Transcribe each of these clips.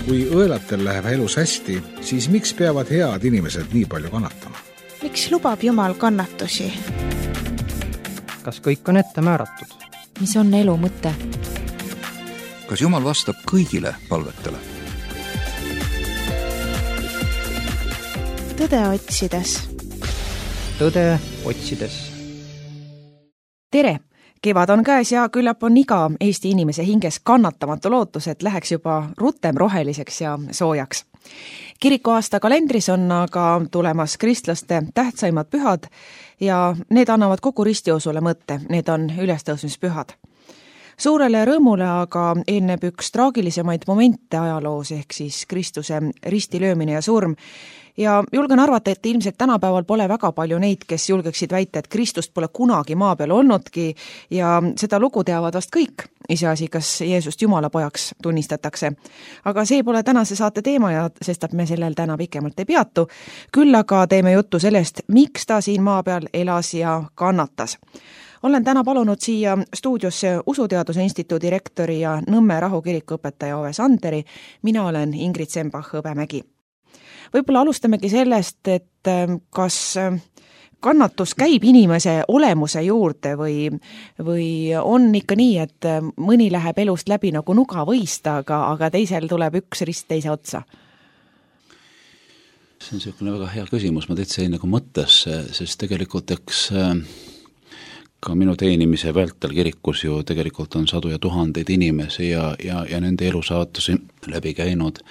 Kui õelatel läheb elus hästi, siis miks peavad head inimesed nii palju kannatama? Miks lubab Jumal kannatusi? Kas kõik on ette määratud? Mis on elu mõte? Kas Jumal vastab kõigile palvetele? Tõde otsides. Tõde otsides. Tere! Kevad on käes ja küllap on iga Eesti inimese hinges kannatamatu lootus, et läheks juba rutem roheliseks ja soojaks. Kirikuaasta kalendris on aga tulemas kristlaste tähtsaimad pühad ja need annavad kogu ristiusule mõtte, need on ülestõusmispühad. Suurele rõõmule aga eelneb üks traagilisemaid momente ajaloos ehk siis Kristuse ristilöömine ja surm. Ja julgen arvata, et ilmselt tänapäeval pole väga palju neid, kes julgeksid väita, et Kristust pole kunagi maa peal olnudki ja seda lugu teavad vast kõik, iseasi, kas Jeesust Jumala pojaks tunnistatakse. Aga see pole tänase saate teema ja sestap me sellel täna pikemalt ei peatu. Küll aga teeme juttu sellest, miks ta siin maa peal elas ja kannatas. Olen täna palunud siia stuudiosse Usuteaduse Instituudi rektori ja Nõmme rahukiriku õpetaja Ove Sanderi. Mina olen Ingrid Sembach-Hõbemägi. Võib-olla alustamegi sellest, et kas kannatus käib inimese olemuse juurde või on ikka nii, et mõni läheb elust läbi nagu nugavõista, aga teisel tuleb üks rist teise otsa? See on selline väga hea küsimus, ma täitsa jäin nagu mõttesse, sest tegelikult eks ka minu teenimise vältel kirikus ju tegelikult on sadu ja tuhandeid inimesi ja nende elusaatusi läbi käinud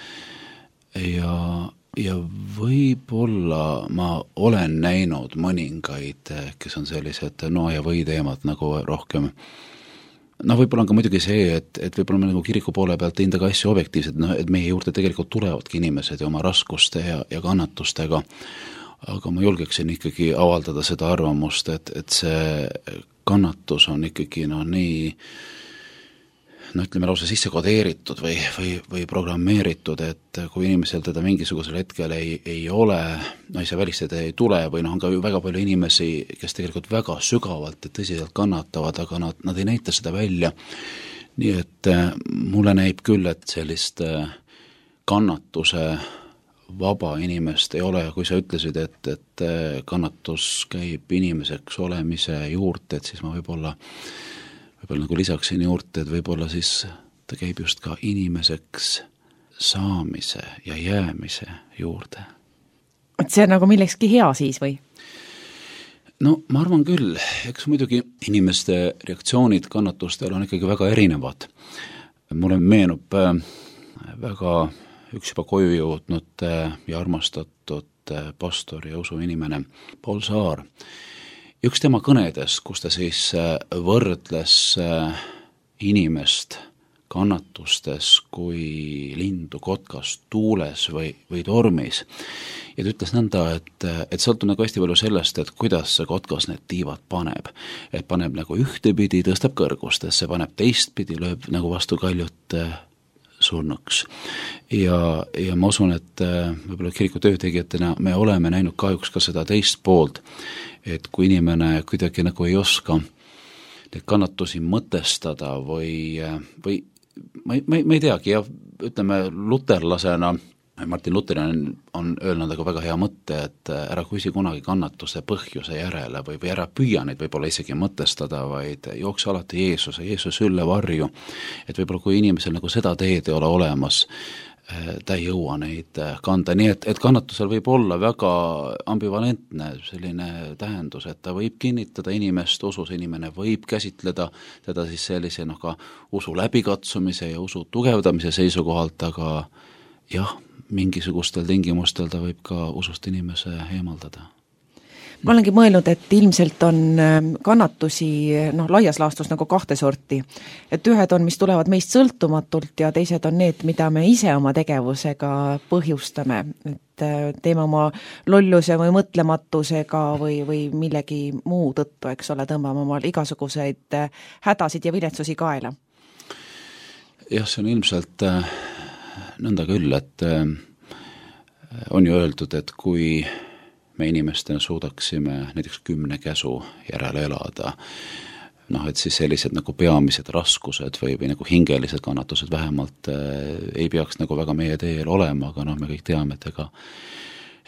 ja võib-olla ma olen näinud mõningaid, kes on sellised no ja või teemad nagu rohkem. Võib-olla on ka muidugi see, et võib-olla me nagu kiriku poole pealt teinud ka asju objektiivselt, et meie juurde tegelikult tulevadki inimesed ja oma raskuste ja kannatustega, aga ma julgeksin ikkagi avaldada seda arvamust, et see kannatus on ikkagi nii ütleme lausa sisse kodeeritud või programmeeritud, et kui inimesel teda mingisugusel hetkel ei ole, ei saa välistada, ei tule või on ka väga palju inimesi, kes tegelikult väga sügavalt ja tõsiselt kannatavad, aga nad ei näita seda välja. Nii et mulle näib küll, et sellist kannatuse vaba inimest ei ole, kui sa ütlesid, et kannatus käib inimeseks olemise juurde, et siis ma võib-olla nagu lisaksin juurde, et võib-olla siis ta käib just ka inimeseks saamise ja jäämise juurde. Et see on nagu millekski hea siis või? No ma arvan küll, eks muidugi inimeste reaktsioonid kannatustele on ikkagi väga erinevad. Mulle meenub väga üks juba koju jõudnud ja armastatud pastor ja usuinimene Paul Saar. Üks tema kõnedes, kus ta siis võrdles inimest kannatustes kui lindu kotkas tuules või tormis. Ja ta ütles nõnda, et sõltub nagu hästi palju sellest, et kuidas see kotkas need tiivad paneb. Et paneb nagu ühtepidi, tõstab kõrgustesse, paneb teistpidi, lööb nagu vastu kaljut surnuks. Ja ma usun, et võib-olla kiriku töötegijatena me oleme näinud kahjuks ka seda teist poolt, et kui inimene kuidagi nagu ei oska neid kannatusi mõtestada või ma ei teagi, ja ütleme luterlasena, Martin Luther on öelnud aga väga hea mõtte, et ära küsi kunagi kannatuse põhjuse järele või ära püüa neid võib-olla isegi mõtestada, vaid jookse alati Jeesuse ülle varju, et võib-olla kui inimesel nagu seda teed ei ole olemas, ta ei jõua neid kanda, nii et kannatusel võib olla väga ambivalentne selline tähendus, et ta võib kinnitada inimest, usus inimene võib käsitleda teda siis sellise ka usu läbikatsumise ja usu tugevdamise seisukohalt, aga jah, mingisugustel tingimustel ta võib ka usust inimese eemaldada. Ma olengi mõelnud, et ilmselt on kannatusi laias laastus nagu kahte sorti. Et ühed on, mis tulevad meist sõltumatult ja teised on need, mida me ise oma tegevusega põhjustame. Et teeme oma lolluse või mõtlematusega või millegi muu tõttu, eks ole, tõmbame omal igasuguseid hädasid ja viletsusi kaela. Jah, see on ilmselt nõnda küll, et on ju öeldud, et kui me inimestena suudaksime näiteks 10 käsu järele elada, noh, et siis sellised nagu peamised raskused või nagu hingelised kannatused vähemalt ei peaks nagu väga meie teel olema, aga noh, me kõik teame, et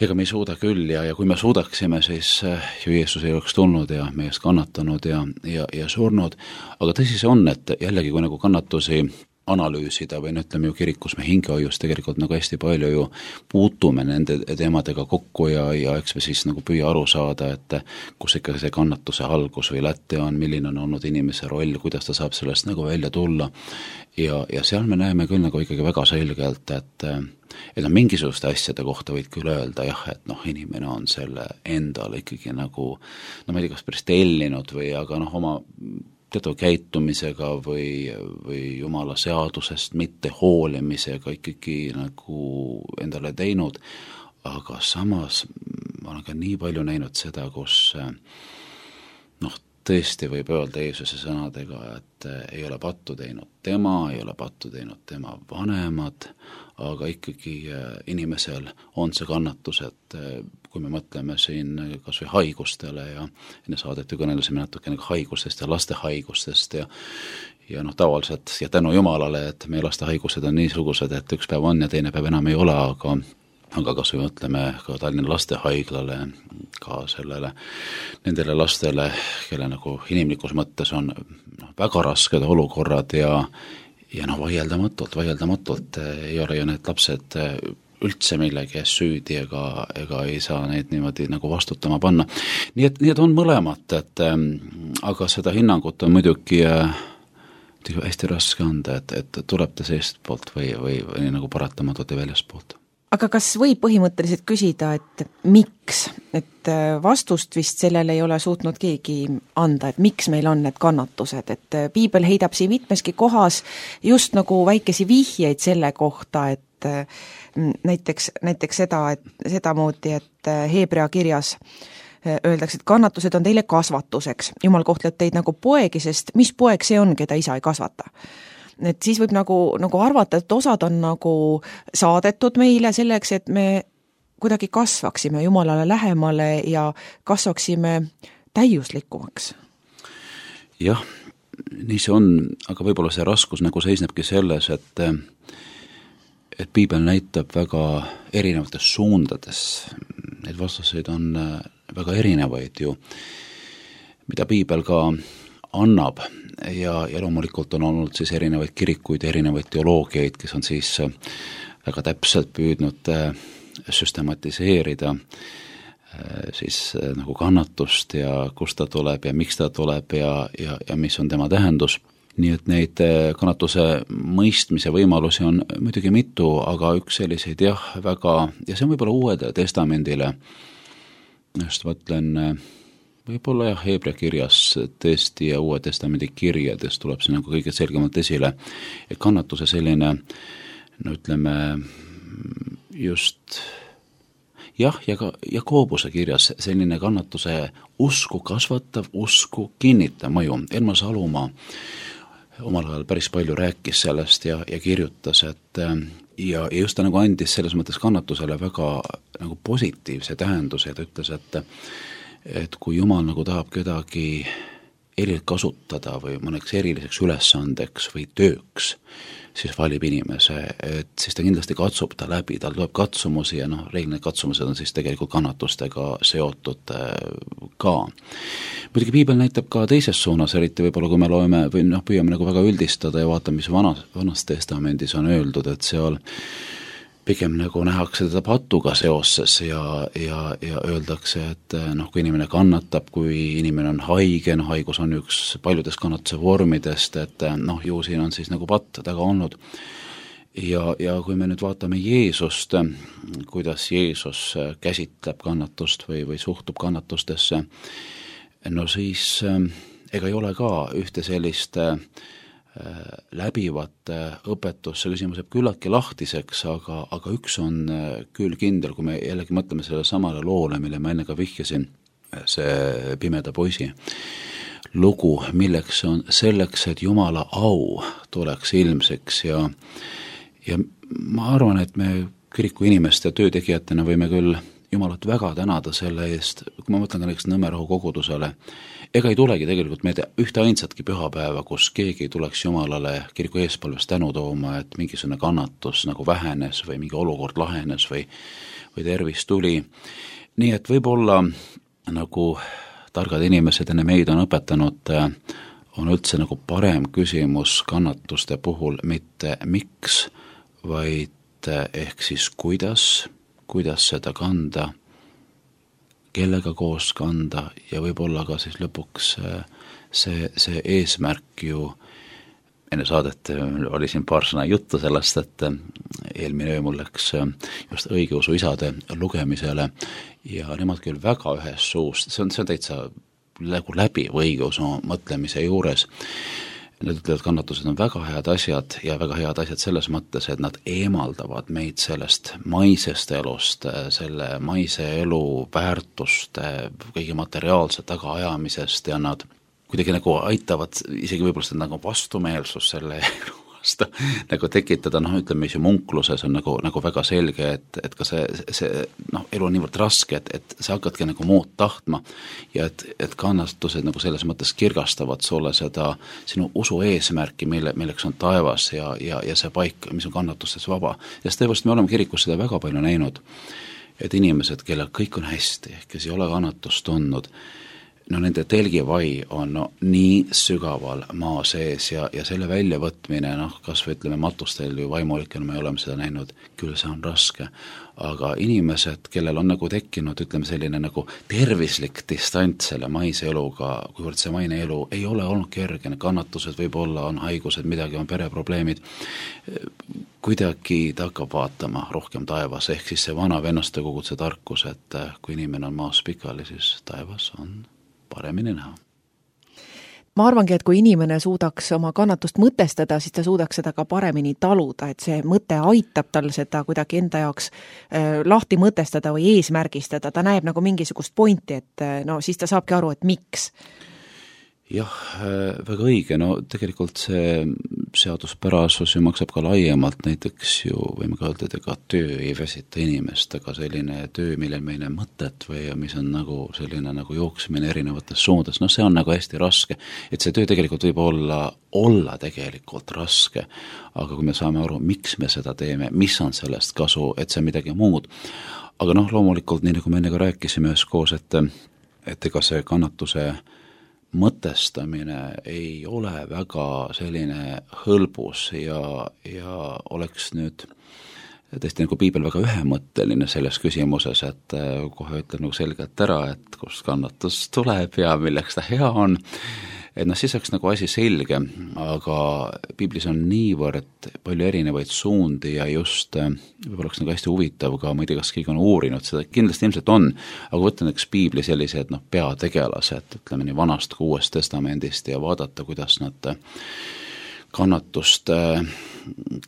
ega me ei suuda küll ja kui me suudaksime, siis ju Jeesus ei oleks tulnud ja meie eest kannatanud ja surnud, aga tõsi see on, et jällegi kui nagu kannatusi analüüsida või ütleme ju kirikus me hingehoius tegelikult nagu hästi palju ju puutume nende teemadega kokku ja eks me siis nagu püüa aru saada, et kus ikka see kannatuse algus või lätte on, milline on olnud inimese roll, kuidas ta saab sellest nagu välja tulla ja seal me näeme küll nagu ikkagi väga selgelt, et mingisuguste asjade kohta võid küll öelda jah, et noh, inimene on selle endale ikkagi nagu no ma ei tea, kas päris tellinud või aga noh, oma teatud käitumisega või Jumala seadusest mitte hoolimisega ikkagi nagu endale teinud, aga samas ma olen ka nii palju näinud seda, kus noh, tõesti võib öelda Jeesuse sõnadega, et ei ole pattu teinud tema, ei ole pattu teinud tema vanemad, aga ikkagi inimesel on see kannatus, et kui me mõtleme siin kas või haigustele ja enne saadet ju kõnelusime natukene haigustest ja laste haigustest ja noh, tavaliselt ja tänu Jumalale, et meie laste haigused on niisugused, et üks päev on ja teine päev enam ei ole, aga kas või mõtleme ka Tallinna lastehaiglale, ka nendele lastele, kelle nagu inimlikus mõttes on väga rasked olukorrad ja noh, vaieldamatult ei ole ju need lapsed üldse millegi eest süüdi ega ei saa neid niimoodi nagu vastutama panna. Nii et on mõlemat, aga seda hinnangut on muidugi hästi raske anda, et tuleb ta seest poolt või nagu paratamatult ja väljast poolt. Aga kas võib põhimõtteliselt küsida, et miks? Et vastust vist sellele ei ole suutnud keegi anda, et miks meil on need kannatused, et piibel heidab siin mitmeski kohas just nagu väikesi vihjeid selle kohta, et näiteks sedamoodi, et Heebrea kirjas öeldakse, et kannatused on teile kasvatuseks. Jumal kohtleb teid nagu poegi, sest mis poeg see on, keda isa ei kasvata? Et siis võib nagu arvata, et osad on nagu saadetud meile selleks, et me kuidagi kasvaksime Jumalale lähemale ja kasvaksime täiuslikumaks. Jah, nii see on, aga võib-olla see raskus nagu seisnebki selles, et piibel näitab väga erinevates suundades. Need vastuseid on väga erinevaid ju, mida piibel ka annab ja loomulikult on olnud siis erinevaid kirikuid, erinevaid teoloogiaid, kes on siis väga täpselt püüdnud süstematiseerida siis nagu kannatust ja kust ta tuleb ja miks ta tuleb ja mis on tema tähendus. Nii et neid kannatuse mõistmise võimalusi on muidugi mitu, aga üks selliseid ja see on võib-olla Uuele Testamendile, just mõtlen võib-olla Heebrea kirjas tõesti ja Uue Testamendi kirjades tuleb see nagu kõige selgemalt esile, et kannatuse selline, no ütleme just ja ka Jakoobuse kirjas selline kannatuse usku kasvatav, usku kinnitav mõju. Elma Salumaa omal ajal päris palju rääkis sellest ja kirjutas, et ja just ta nagu andis selles mõttes kannatusele väga nagu positiivse tähenduse, ta ütles, et kui Jumal nagu tahab kedagi erilt kasutada või mõneks eriliseks ülesandeks või tööks, siis valib inimese, et siis ta kindlasti katsub ta läbi, tal tuleb katsumusi ja reegline katsumused on siis tegelikult kannatustega seotud ka. Muidugi piibel näitab ka teises suunas, eriti võib-olla kui me loeme või püüame nagu väga üldistada ja vaatame, mis vanas testamendis on öeldud, et seal pigem nagu nähakse teda patuga seoses ja öeldakse, et kui inimene kannatab, kui inimene on haige, haigus on üks paljudest kannatuse vormidest, et ju siin on siis nagu patt taga olnud. Ja kui me nüüd vaatame Jeesust, kuidas Jeesus käsitleb kannatust või suhtub kannatustesse, siis ega ei ole ka ühte sellist läbivat õpetus, see küsimus jääb küllaltki lahtiseks, aga üks on küll kindel, kui me jällegi mõtleme selle samale loole, mille ma enne ka vihjasin, see pimeda poisi lugu, milleks on selleks, et Jumala au tuleks ilmseks ja ma arvan, et me kiriku inimeste töötegijatena võime küll Jumalat väga tänada selle eest, kui ma mõtlen ka näiteks Nõmmerahu kogudusele, ega ei tulegi tegelikult meelde ühte ainsatki pühapäeva, kus keegi ei tuleks Jumalale kiriku eespalves tänu tooma, et mingisugune kannatus nagu vähenes või mingi olukord lahenes või tervis tuli. Nii et võib-olla nagu targad inimesed enne meid on õpetanud, on üldse nagu parem küsimus kannatuste puhul mitte miks, vaid ehk siis kuidas seda kanda, kellega koos kanda ja võib-olla ka siis lõpuks see eesmärk ju, enne saadet oli siin paar sõna juttu sellest, et eelmine öö mul läks just õigeusu isade lugemisele ja nemad küll väga ühes suust, see on täitsa nagu läbiv õigeusu mõtlemise juures. Nad ütlevad, kannatused on väga head asjad ja väga head asjad selles mõttes, et nad eemaldavad meid sellest maisest elust, selle maise elu väärtuste, kõige materiaalse tagaajamisest ja nad kuidagi nagu aitavad isegi võib-olla seda nagu vastumeelsus selle elu vastu nagu tekitada, ütleme, munkluses on nagu väga selge, et ka see elu on niivõrd raske, et sa hakkadki nagu muud tahtma ja et kannatused nagu selles mõttes kirgastavad sulle seda sinu usu eesmärki, milleks on taevas ja see paik, mis on kannatustes vaba. Ja tõepoolest me oleme kirikus seda väga palju näinud, et inimesed, kellel kõik on hästi, kes ei ole kannatust tundnud, nende telgivai on nii sügaval maa sees ja selle väljavõtmine, kas või ütleme matustel või vaimulikena me oleme seda näinud, küll see on raske, aga inimesed, kellel on nagu tekkinud, ütleme selline nagu tervislik distants selle maise eluga, kuivõrd see maine elu ei ole olnud kerge, kannatused võib-olla on haigused, midagi on pereprobleemid, kuidagi ta hakkab vaatama rohkem taevas, ehk siis see vana vennaste koguduse tarkus, et kui inimene on maas pikali, siis taevas on paremini näha. Ma arvangi, et kui inimene suudaks oma kannatust mõtestada, siis ta suudaks seda ka paremini taluda, et see mõte aitab tal seda kuidagi enda jaoks lahti mõtestada või eesmärgistada, ta näeb nagu mingisugust pointi, et siis ta saabki aru, et miks. Jah, väga õige, tegelikult see seaduspärasus ju maksab ka laiemalt, näiteks ju võime ka öelda, et ega töö ei väsita inimest, aga selline töö, millel meil on mõtet või mis on nagu selline nagu jooksmine erinevates suundades, see on nagu hästi raske, et see töö tegelikult võib olla tegelikult raske, aga kui me saame aru, miks me seda teeme, mis on sellest kasu, et see on midagi muud, aga loomulikult, nii nagu me enne ka rääkisime üheskoos, et ega see kannatuse mõtestamine ei ole väga selline hõlbus ja oleks nüüd tõesti nagu piibel väga ühemõtteline selles küsimuses, et kohe ütleb nagu selgelt ära, et kust kannatus tuleb ja milleks ta hea on, et siis oleks nagu asi selge, aga piiblis on niivõrd palju erinevaid suundi ja just võib-olla oleks nagu hästi huvitav ka, ma ei tea, kas keegi on uurinud seda, kindlasti ilmselt on, aga võtta näiteks piibli sellised peategelased, ütleme nii Vanast kui Uuest Testamendist ja vaadata, kuidas nad kannatust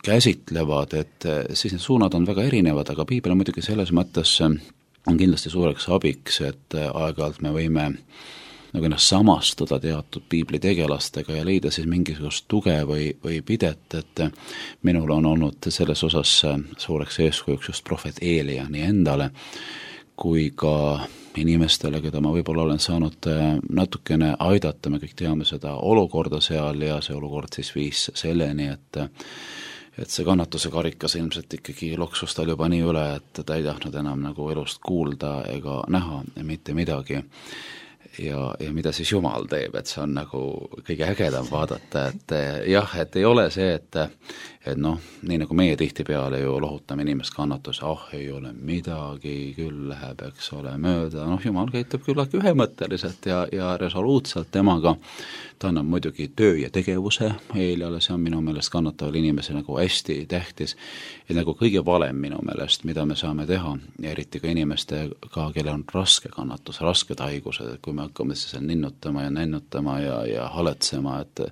käsitlevad, et siis need suunad on väga erinevad, aga piibel on muidugi selles mõttes on kindlasti suureks abiks, et aeg-ajalt me võime nagu ennast samastuda teatud piibli tegelastega ja leida siis mingisugust tuge või pidet, et minul on olnud selles osas suureks eeskujuks just prohvet Eelia nii endale kui ka inimestele, keda ma võib-olla olen saanud natukene aidata, me kõik teame seda olukorda seal ja see olukord siis viis selleni, et see kannatuse karikas ilmselt ikkagi loksus tal juba nii üle, et ta ei tahtnud enam nagu elust kuulda ega näha mitte midagi. Ja mida siis Jumal teeb, et see on nagu kõige ägedam vaadata, et jah, et ei ole see, et nii nagu meie tihtipeale ju lohutame inimest kannatuse, ei ole midagi, küll läheb, eks ole, mööda, Jumal käitub küllagi ühemõtteliselt ja resoluutselt temaga, ta annab muidugi töö ja tegevuse Eeliale, see on minu meelest kannataval inimese nagu hästi tähtis ja nagu kõige valem minu meelest, mida me saame teha ja eriti ka inimestega, kellel on raske kannatus, rasked haigused, kui me hakkame siis ninnutama ja nännutama ja haletsema, et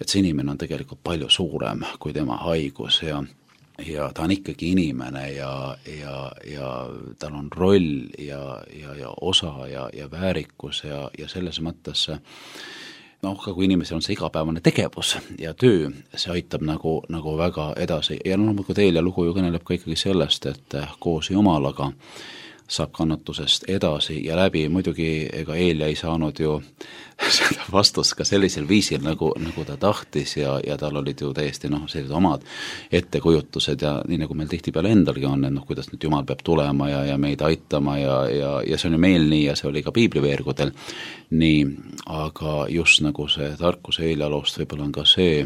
see inimene on tegelikult palju suurem kui tema haigus ja ta on ikkagi inimene ja tal on roll ja osa ja väärikus ja selles mõttes ka kui inimesel on see igapäevane tegevus ja töö, see aitab nagu väga edasi ja loomulikult Eelia lugu ju kõneleb ka ikkagi sellest, et koos Jumalaga saab kannatusest edasi ja läbi, muidugi ega Eelia ei saanud ju seda vastust ka sellisel viisil, nagu ta tahtis ja tal olid ju täiesti sellised omad ettekujutused ja nii nagu meil tihtipeale endalgi on, et kuidas nüüd Jumal peab tulema ja meid aitama ja see on ju meil nii ja see oli ka piibliveergudel nii, aga just nagu see tarkuse Eelia loost võib-olla on ka see,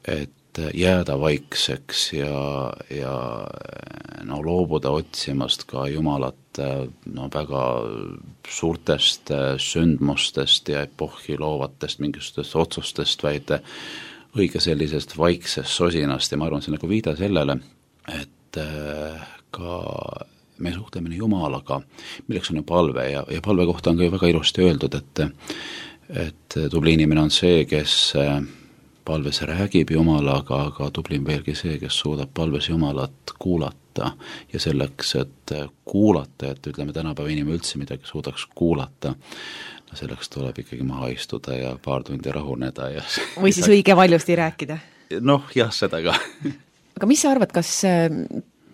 et jääda vaikseks ja loobuda otsimast ka Jumalat väga suurtest sündmustest ja epohhi loovatest mingisugustest otsustest, vaid õige sellisest vaiksest sosinast ja ma arvan, see on nagu viide sellele, et ka meie suhtlemine Jumalaga, milleks on ju palve ja palve kohta on ka ju väga ilusti öeldud, et tubli inimene on see, kes palves räägib Jumalaga, aga tublim veelgi see, kes suudab palves Jumalat kuulata ja selleks, et kuulata, et ütleme tänapäeva inimene üldse midagi suudaks kuulata, selleks tuleb ikkagi maha istuda ja paar tundi rahuneda ja või siis õige valjusti rääkida. Jah, seda ka. Aga mis sa arvad, kas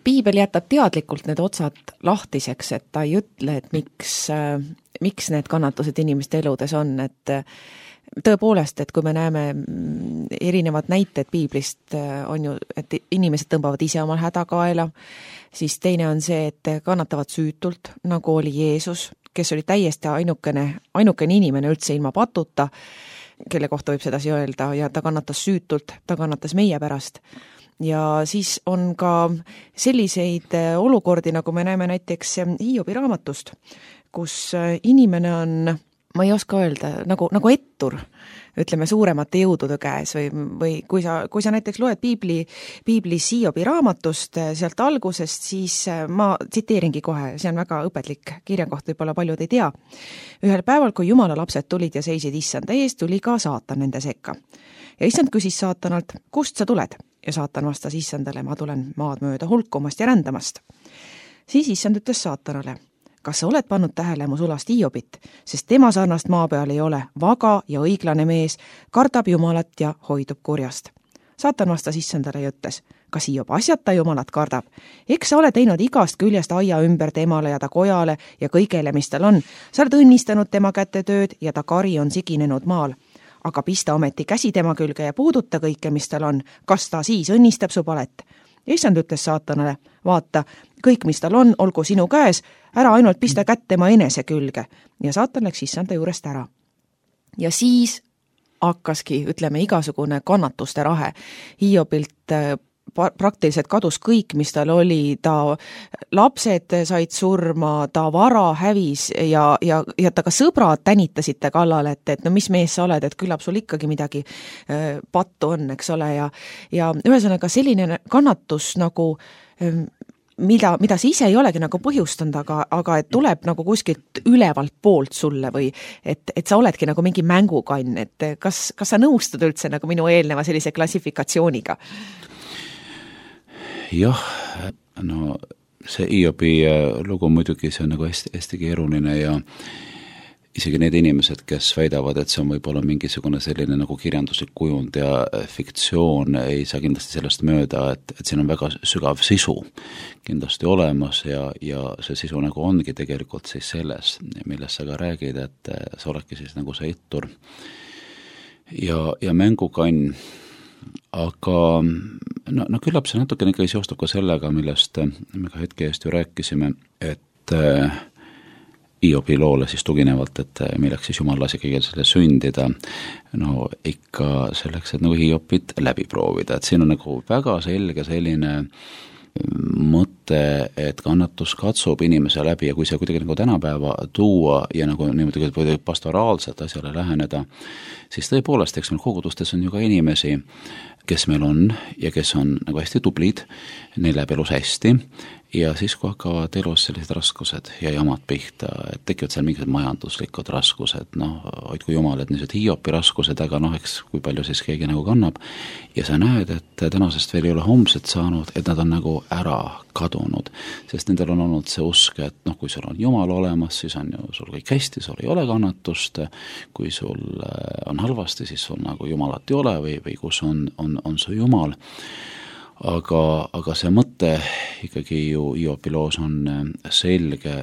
piibel jätab teadlikult need otsad lahtiseks, et ta ei ütle, et miks need kannatused inimeste eludes on, et tõepoolest, et kui me näeme erinevad näited piiblist, on ju, et inimesed tõmbavad ise omal hädakaela, siis teine on see, et kannatavad süütult, nagu oli Jeesus, kes oli täiesti ainukene inimene üldse ilma patuta, kelle kohta võib sedasi öelda, ja ta kannatas süütult, ta kannatas meie pärast. Ja siis on ka selliseid olukordi, nagu me näeme näiteks Hiobi raamatust, kus inimene on, ma ei oska öelda, nagu ettur, ütleme suuremate jõudude käes või kui sa näiteks loed piiblis Hiobi raamatust sealt algusest, siis ma tsiteeringi kohe, see on väga õpetlik kirjakoht, võib-olla paljud ei tea. Ühel päeval, kui Jumala lapsed tulid ja seisid issanda ees, tuli ka saatan nende sekka. Ja issand küsis saatanalt, kust sa tuled? Ja saatan vastas issandale, ma tulen maad mööda hulkumast ja rändamast. Siis issand ütles saatanale, kas sa oled pannud tähele mu sulast Hiobit, sest tema sarnast maa peal ei ole, vaga ja õiglane mees, kardab Jumalat ja hoidub kurjast. Saatan vastas issandale ja ütles, kas Hiob asjata Jumalat kardab? Eks sa ole teinud igast küljest aia ümber temale ja ta kojale ja kõigele, mis tal on. Sa oled õnnistanud tema käte tööd ja ta kari on siginenud maal. Aga pista ometi käsi tema külge ja puuduta kõike, mis tal on. Kas ta siis õnnistab su palet? Issand ütles saatanale, vaata, kõik, mis tal on, olgu sinu käes, ära ainult pista kätt tema enese külge. Ja saatan läks issanda juurest ära. Ja siis hakkaski, ütleme, igasugune kannatuste rahe. Hiobilt praktiliselt kadus kõik, mis tal oli, ta lapsed said surma, ta vara hävis ja ta ka sõbrad tänitasid ta kallale, et no mis mees sa oled, et küllap sul ikkagi midagi pattu on, eks ole, ja ühesõnaga selline kannatus nagu mida sa ise ei olegi nagu põhjustanud, aga et tuleb nagu kuskilt ülevalt poolt sulle või et sa oledki nagu mingi mängukann, et kas sa nõustud üldse nagu minu eelneva sellise klassifikatsiooniga? Jah, no see Hiobi lugu muidugi, see on nagu hästi keeruline ja isegi need inimesed, kes väidavad, et see on võib-olla mingisugune selline nagu kirjanduslik kujund ja fiktsioon, ei saa kindlasti sellest mööda, et siin on väga sügav sisu kindlasti olemas ja see sisu nagu ongi tegelikult siis selles, millest sa ka räägid, et sa oledki siis nagu see ettur ja mängukann. Aga no küllap see natukene ikka seostub ka sellega, millest me ka hetke eest ju rääkisime, et Hiobi loole siis tuginevalt, et milleks siis Jumal lasi kõigil selle sündida, no ikka selleks, et nagu Hiobit läbi proovida, et siin on nagu väga selge selline mõte, et kannatus katsub inimese läbi ja kui see kuidagi nagu tänapäeva tuua ja nagu niimoodi pastoraalselt asjale läheneda, siis tõepoolest, eks meil kogudustes on ju ka inimesi, kes meil on ja kes on nagu hästi tublid, neil läheb elus hästi ja siis kui hakkavad elus sellised raskused ja jamad pihta, et tekivad seal mingisugused majanduslikud raskused, hoidku Jumal, et niisugused Hiobi raskused, aga eks kui palju siis keegi nagu kannab ja sa näed, et tänasest veel ei ole homset saanud, et nad on nagu ära kadunud, sest nendel on olnud see usk, et kui sul on Jumal olemas, siis on ju sul kõik hästi, sul ei ole kannatust, kui sul on halvasti, siis sul nagu Jumalat ei ole või kus on su Jumal. aga see mõte ikkagi ju Hiopi loos on selge,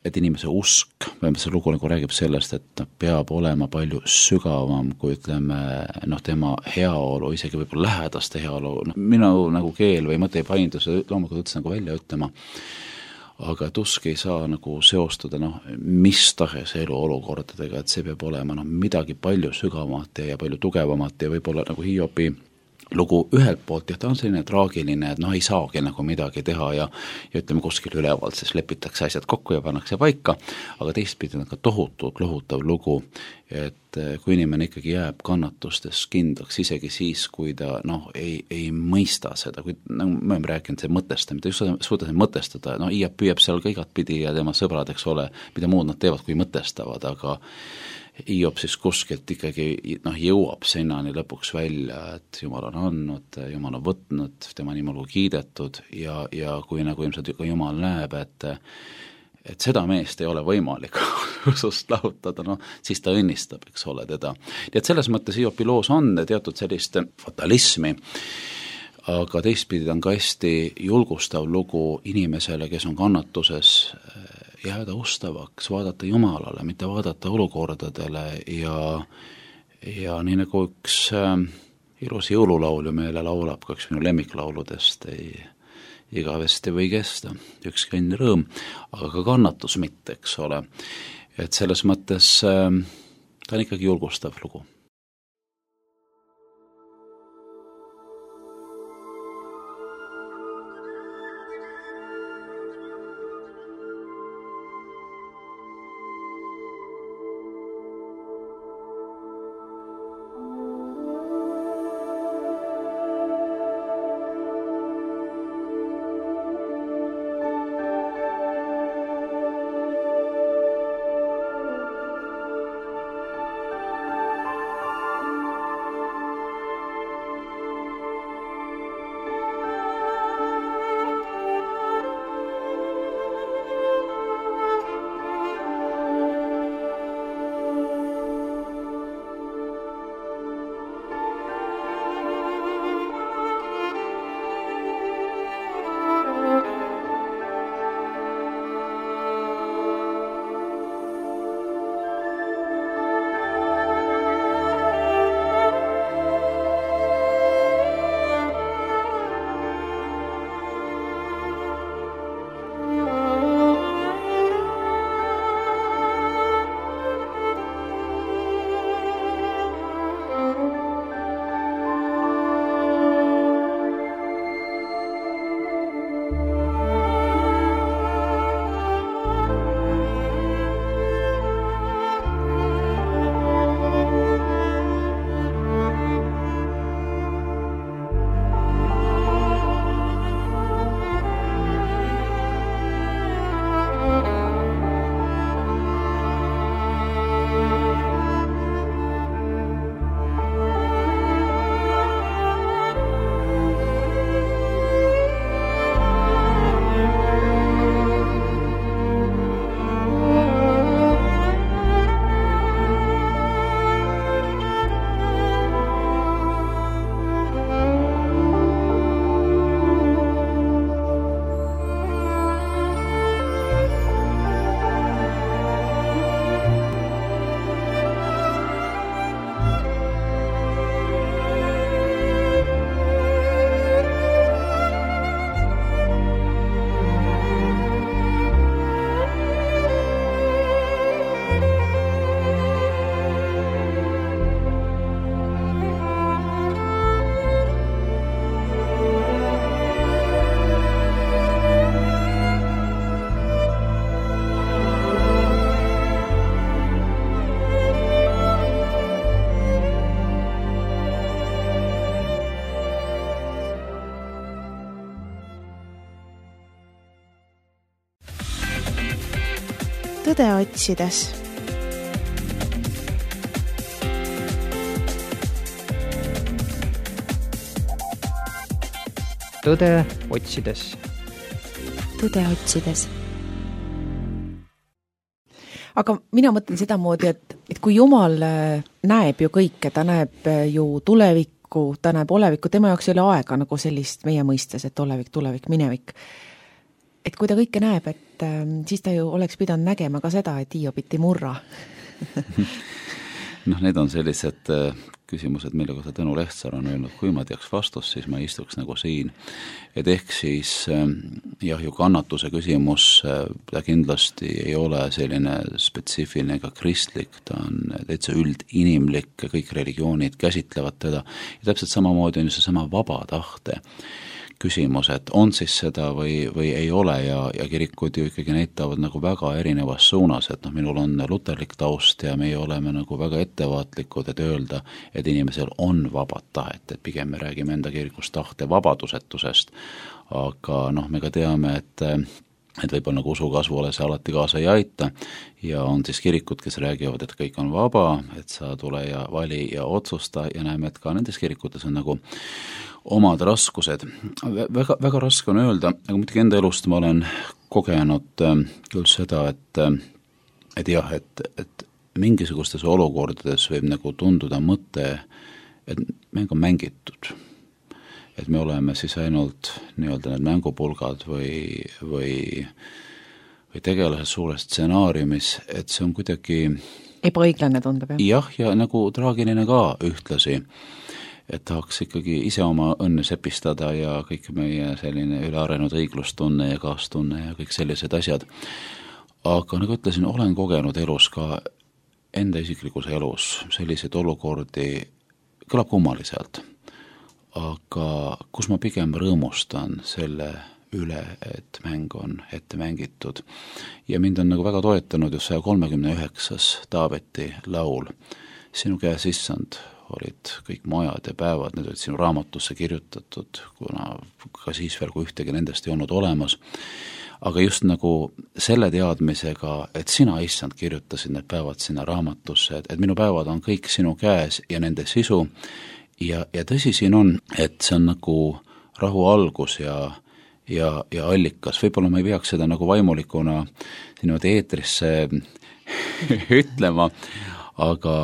et inimese usk, see lugu nagu räägib sellest, et ta peab olema palju sügavam kui ütleme, tema heaolu, isegi võib-olla lähedaste heaolu, minu nagu keel või mõte ei paindu, see loomulikult üldse nagu välja ütlema, aga et usk ei saa nagu seostuda mis tahes eluolukordadega, et see peab olema midagi palju sügavamat ja palju tugevamat ja võib-olla nagu Hiopi lugu ühelt poolt, ta on selline traagiline, et ei saagi nagu midagi teha ja ütleme kuskil ülevalt, siis lepitakse asjad kokku ja pannakse paika, aga teistpidi on ka tohutult lohutav lugu, et kui inimene ikkagi jääb kannatustes kindlaks, isegi siis, kui ta ei mõista seda, kui me oleme rääkinud see mõtestamine, ta just suuda mõtestada, Hiop püüab seal ka igatpidi ja tema sõbrad, eks ole, mida muud nad teevad, kui mõtestavad, aga Hiop siis kuskilt ikkagi jõuab sinnani lõpuks välja, et Jumal on andnud, Jumal on võtnud, tema nimel kiidetud ja kui nagu ilmselt ka Jumal näeb, et seda meest ei ole võimalik usust lahutada, siis ta õnnistab, eks ole, teda. Nii et selles mõttes Hiopi loos on teatud sellist fatalismi, aga teistpidi ta on ka hästi julgustav lugu inimesele, kes on kannatuses, jääda ustavaks, vaadata Jumalale, mitte vaadata olukordadele ja nii nagu üks ilus jõululaul meile laulab, ka üks minu lemmiklauludest, igavesti või kesta, ükski õnn rõõm, aga ka kannatus mitte, eks ole. Et selles mõttes ta on ikkagi julgustav lugu. tõde otsides. tõde otsides. tõde otsides. Aga mina mõtlen sedamoodi, et kui Jumal näeb ju kõike, ta näeb ju tulevikku, ta näeb olevikku, tema jaoks ei ole aega nagu sellist meie mõistes, et olevik, tulevik, minevik. Et kui ta kõike näeb, et siis ta ju oleks pidanud nägema ka seda, et Hiiobit ei murra. Need on sellised küsimused, mille kohta Tõnu Lehtsaar on öelnud, kui ma teaks vastust, siis ma istuks nagu siin. Et ehk siis ju kannatuse küsimus, ta kindlasti ei ole selline spetsiifiline ega kristlik, ta on täitsa üldinimlik, kõik religioonid käsitlevad teda ja täpselt samamoodi on ju seesama vaba tahte küsimus, et on siis seda või ei ole ja kirikud ju ikkagi näitavad nagu väga erinevas suunas, et minul on luterlik taust ja meie oleme nagu väga ettevaatlikud, et öelda, et inimesel on vabad tahet, et pigem me räägime enda kirikust tahte vabadusetusest, aga me ka teame, et võib-olla nagu usu kasvule see alati kaasa ei aita ja on siis kirikud, kes räägivad, et kõik on vaba, et sa tule ja vali ja otsusta ja näeme, et ka nendes kirikutes on nagu omad raskused. Väga, väga raske on öelda, aga muidugi enda elust ma olen kogenud küll seda, et mingisugustes olukordades võib nagu tunduda mõte, et mäng on mängitud. Et me oleme siis ainult nii-öelda need mängupulgad või tegelased suures stsenaariumis, et see on kuidagi ebaõiglane tundub, jah? Jah, ja nagu traagiline ka ühtlasi. Et tahaks ikkagi ise oma õnne sepistada ja kõik meie selline ülearenud õiglustunne ja kaastunne ja kõik sellised asjad. Aga nagu ütlesin, olen kogenud elus ka enda isiklikus elus selliseid olukordi, kõlab kummaliselt, aga kus ma pigem rõõmustan selle üle, et mäng on ette mängitud. Ja mind on nagu väga toetanud just 139. Taaveti laul. Sinu käes, issand, olid kõik majad ja päevad, need olid sinu raamatusse kirjutatud, kuna ka siis veel, kui ühtegi nendest ei olnud olemas. Aga just nagu selle teadmisega, et sina, issand, kirjutasid need päevad sinna raamatusse, et minu päevad on kõik sinu käes ja nende sisu ja tõsi siin on, et see on nagu rahu algus ja allikas. Võib-olla ma ei peaks seda nagu vaimulikuna niimoodi eetrisse ütlema, aga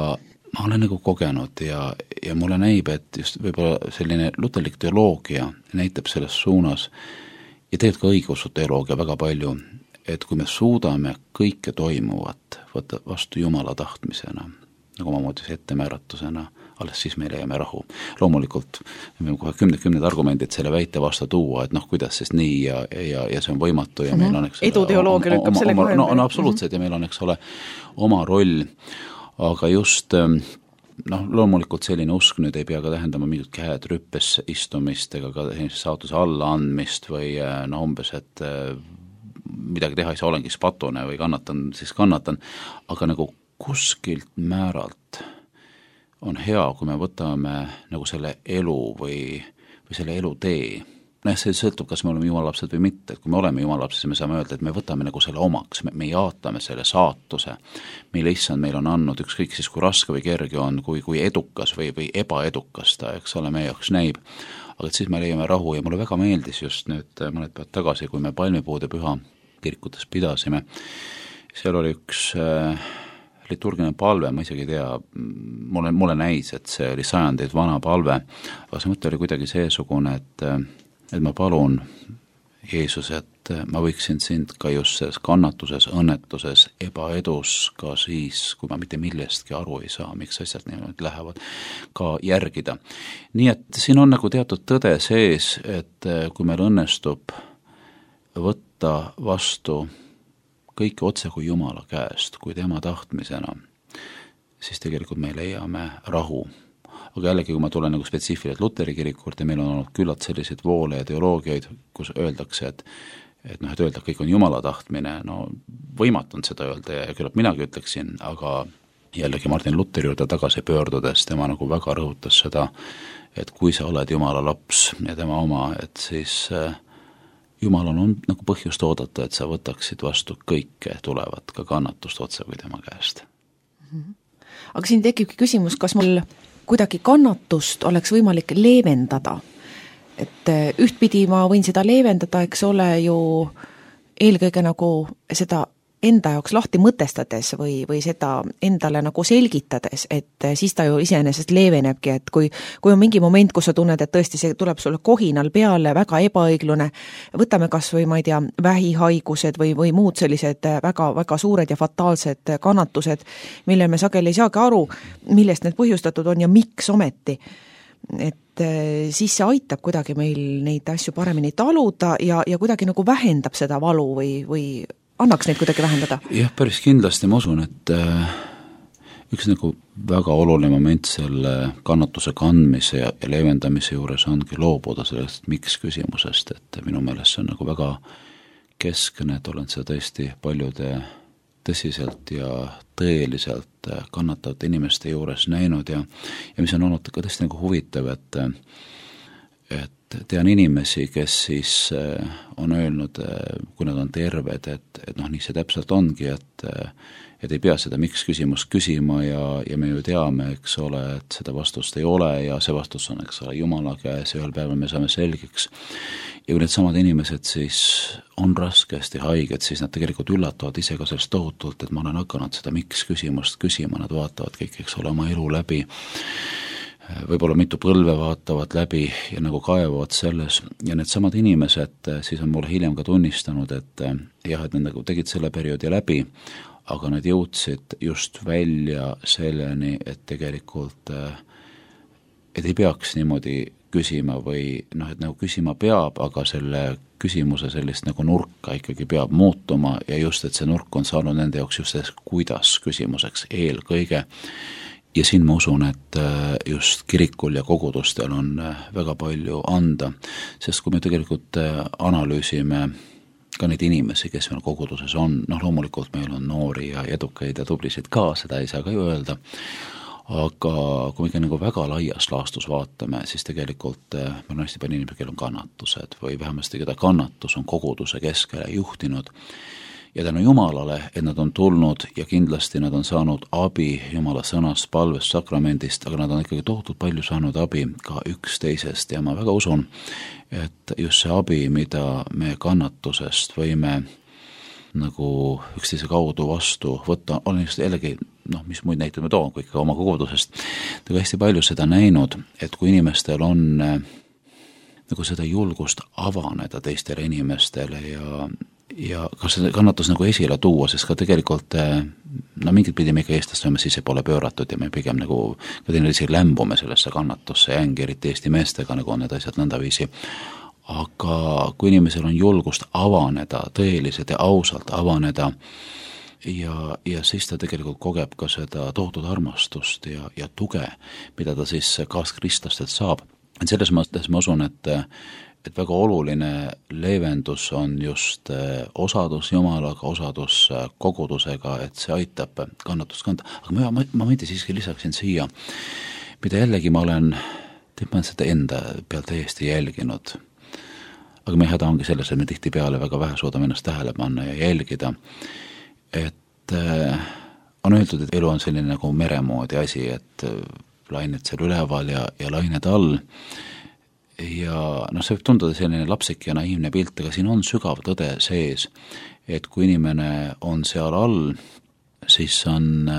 ma olen nagu kogenud ja mulle näib, et just võib-olla selline luterlik teoloogia näitab selles suunas ja tegelikult ka õigeusu teoloogia väga palju, et kui me suudame kõike toimuvat võtta vastu Jumala tahtmisena, nagu omamoodi ettemääratusena, alles siis me leiame rahu. Loomulikult me kohe kümned argumendid selle väite vastu tuua, et kuidas siis nii ja see on võimatu ja meil on eduteoloogia lükkab selle kohe. No absoluutselt ja meil on oma roll. Aga just loomulikult selline usk nüüd ei pea ka tähendama mingit käed rüppes istumist ega ka saatuse alla andmist või umbes, et midagi teha ei saa, olengi patune või kannatan, aga nagu kuskilt määralt on hea, kui me võtame nagu selle elu või selle elutee. See sõltub, kas me oleme jumalapsed või mitte, et kui me oleme jumalapsed, siis me saame öelda, et me võtame nagu selle omaks, me jaatame selle saatuse, mille issand meil on andnud, ükskõik siis kui raske või kerge on, kui edukas või ebaedukas ta, eks ole, meie jaoks näib, aga et siis me leiame rahu ja mulle väga meeldis just nüüd mõned päevad tagasi, kui me palmipuude püha kirikutes pidasime, seal oli üks liturgiline palve, ma isegi ei tea, mulle näis, et see oli sajandeid vana palve, aga see mõte oli kuidagi seesugune, et ma palun, Jeesus, et ma võiksin sind ka just selles kannatuses, õnnetuses, ebaedus ka siis, kui ma mitte millestki aru ei saa, miks asjad niimoodi lähevad, ka järgida. Nii et siin on nagu teatud tõde sees, et kui meil õnnestub võtta vastu kõike otse kui Jumala käest, kui tema tahtmisena, siis tegelikult me leiame rahu. Aga jällegi, kui ma tulen nagu spetsiifiliselt Luteri kirikurt ja meil on olnud küllalt selliseid voole ja teoloogiaid, kus öeldakse, et öelda, et kõik on Jumala tahtmine, võimatu on seda öelda ja küllalt minagi ütleksin, aga jällegi Martin Luteri juurde tagasi pöördudes, tema nagu väga rõhutas seda, et kui sa oled Jumala laps ja tema oma, et siis Jumal on nagu põhjust oodata, et sa võtaksid vastu kõike tulevat, ka kannatust otse või tema käest. Aga siin tekibki küsimus, kas mul kuidagi kannatust oleks võimalik leevendada. Et ühtpidi ma võin seda leevendada, eks ole ju eelkõige nagu seda enda jaoks lahti mõtestades või seda endale nagu selgitades, et siis ta ju iseenesest leevenebki, et kui on mingi moment, kus sa tunned, et tõesti see tuleb sulle kohinal peale, väga ebaõiglune, võtame kas või, ma ei tea, vähihaigused või muud sellised väga, väga suured ja fataalsed kannatused, mille me sageli ei saagi aru, millest need põhjustatud on ja miks ometi. Et siis see aitab kuidagi meil neid asju paremini taluda ja kuidagi nagu vähendab seda valu või annaks neid kuidagi vähendada? Jah, päris kindlasti ma usun, et üks nagu väga oluline moment selle kannatuse kandmise ja leevendamise juures ongi loobuda sellest miks küsimusest, et minu meelest see on nagu väga keskne, et olen seda tõesti paljude tõsiselt ja tõeliselt kannatavate inimeste juures näinud ja mis on olnud ka tõesti nagu huvitav, et tean inimesi, kes siis on öelnud, kui nad on terved, et noh, nii see täpselt ongi, et ei pea seda miks küsimust küsima ja me ju teame, eks ole, et seda vastust ei ole ja see vastus on, eks ole, Jumala käes ja ühel päeval me saame selgeks. Ja kui need samad inimesed siis on raskesti haiged, siis nad tegelikult üllatuvad ise ka sellest tohutult, et ma olen hakanud seda miks küsimust küsima, nad vaatavad kõik, eks ole, oma elu läbi, võib-olla mitu põlve vaatavad läbi ja nagu kaevavad selles ja need samad inimesed siis on mulle hiljem ka tunnistanud, et jah, et nad nagu tegid selle perioodi läbi, aga nad jõudsid just välja selleni, et tegelikult et ei peaks niimoodi küsima või noh, et nagu küsima peab, aga selle küsimuse sellist nagu nurka ikkagi peab muutuma ja just, et see nurk on saanud nende jaoks just selles kuidas küsimuseks eelkõige. Ja siin ma usun, et just kirikul ja kogudustel on väga palju anda, sest kui me tegelikult analüüsime ka neid inimesi, kes meil koguduses on, noh loomulikult meil on noori ja edukaid ja tublisid ka, seda ei saa ka ju öelda, aga kui me ikka nagu väga laias laastus vaatame, siis tegelikult meil on hästi palju inimesi, kellel on kannatused või vähemasti keda kannatus on koguduse keskele juhtinud ja tänu Jumalale, et nad on tulnud ja kindlasti nad on saanud abi Jumala sõnast, palvest, sakramendist, aga nad on ikkagi tohutult palju saanud abi ka üksteisest ja ma väga usun, et just see abi, mida me kannatusest võime nagu üksteise kaudu vastu võtta, olen just jällegi, noh, mis muid näiteid ma toon, kui ikka oma kogudusest, aga hästi palju seda näinud, et kui inimestel on nagu seda julgust avaneda teistele inimestele ja kas see kannatus nagu esile tuua, sest ka tegelikult no mingit pidi me ikka eestlast oleme sisse poole pööratud ja me pigem nagu ka teineteisi lämbume sellesse kannatusse jängi, eriti Eesti meestega nagu on need asjad nõndaviisi. Aga kui inimesel on julgust avaneda, tõeliselt ja ausalt avaneda ja siis ta tegelikult kogeb ka seda tohutut armastust ja tuge, mida ta siis kaaskristlastel saab. Et selles mõttes ma usun, et väga oluline leevendus on just osadus Jumalaga, osadus kogudusega, et see aitab kannatust kanda. Aga ma mõtti siiski lisaksin siia, mida jällegi ma olen seda enda peal täiesti jälginud. Aga meie häda ongi selles, et me tihtipeale väga vähe suudame ennast tähele panna ja jälgida, et on öeldud, et elu on selline nagu meremoodi asi, et lained seal üleval ja lained all ja noh, see võib tunduda selline lapsik ja naiivne pilt, aga siin on sügav tõde sees, et kui inimene on seal all, siis on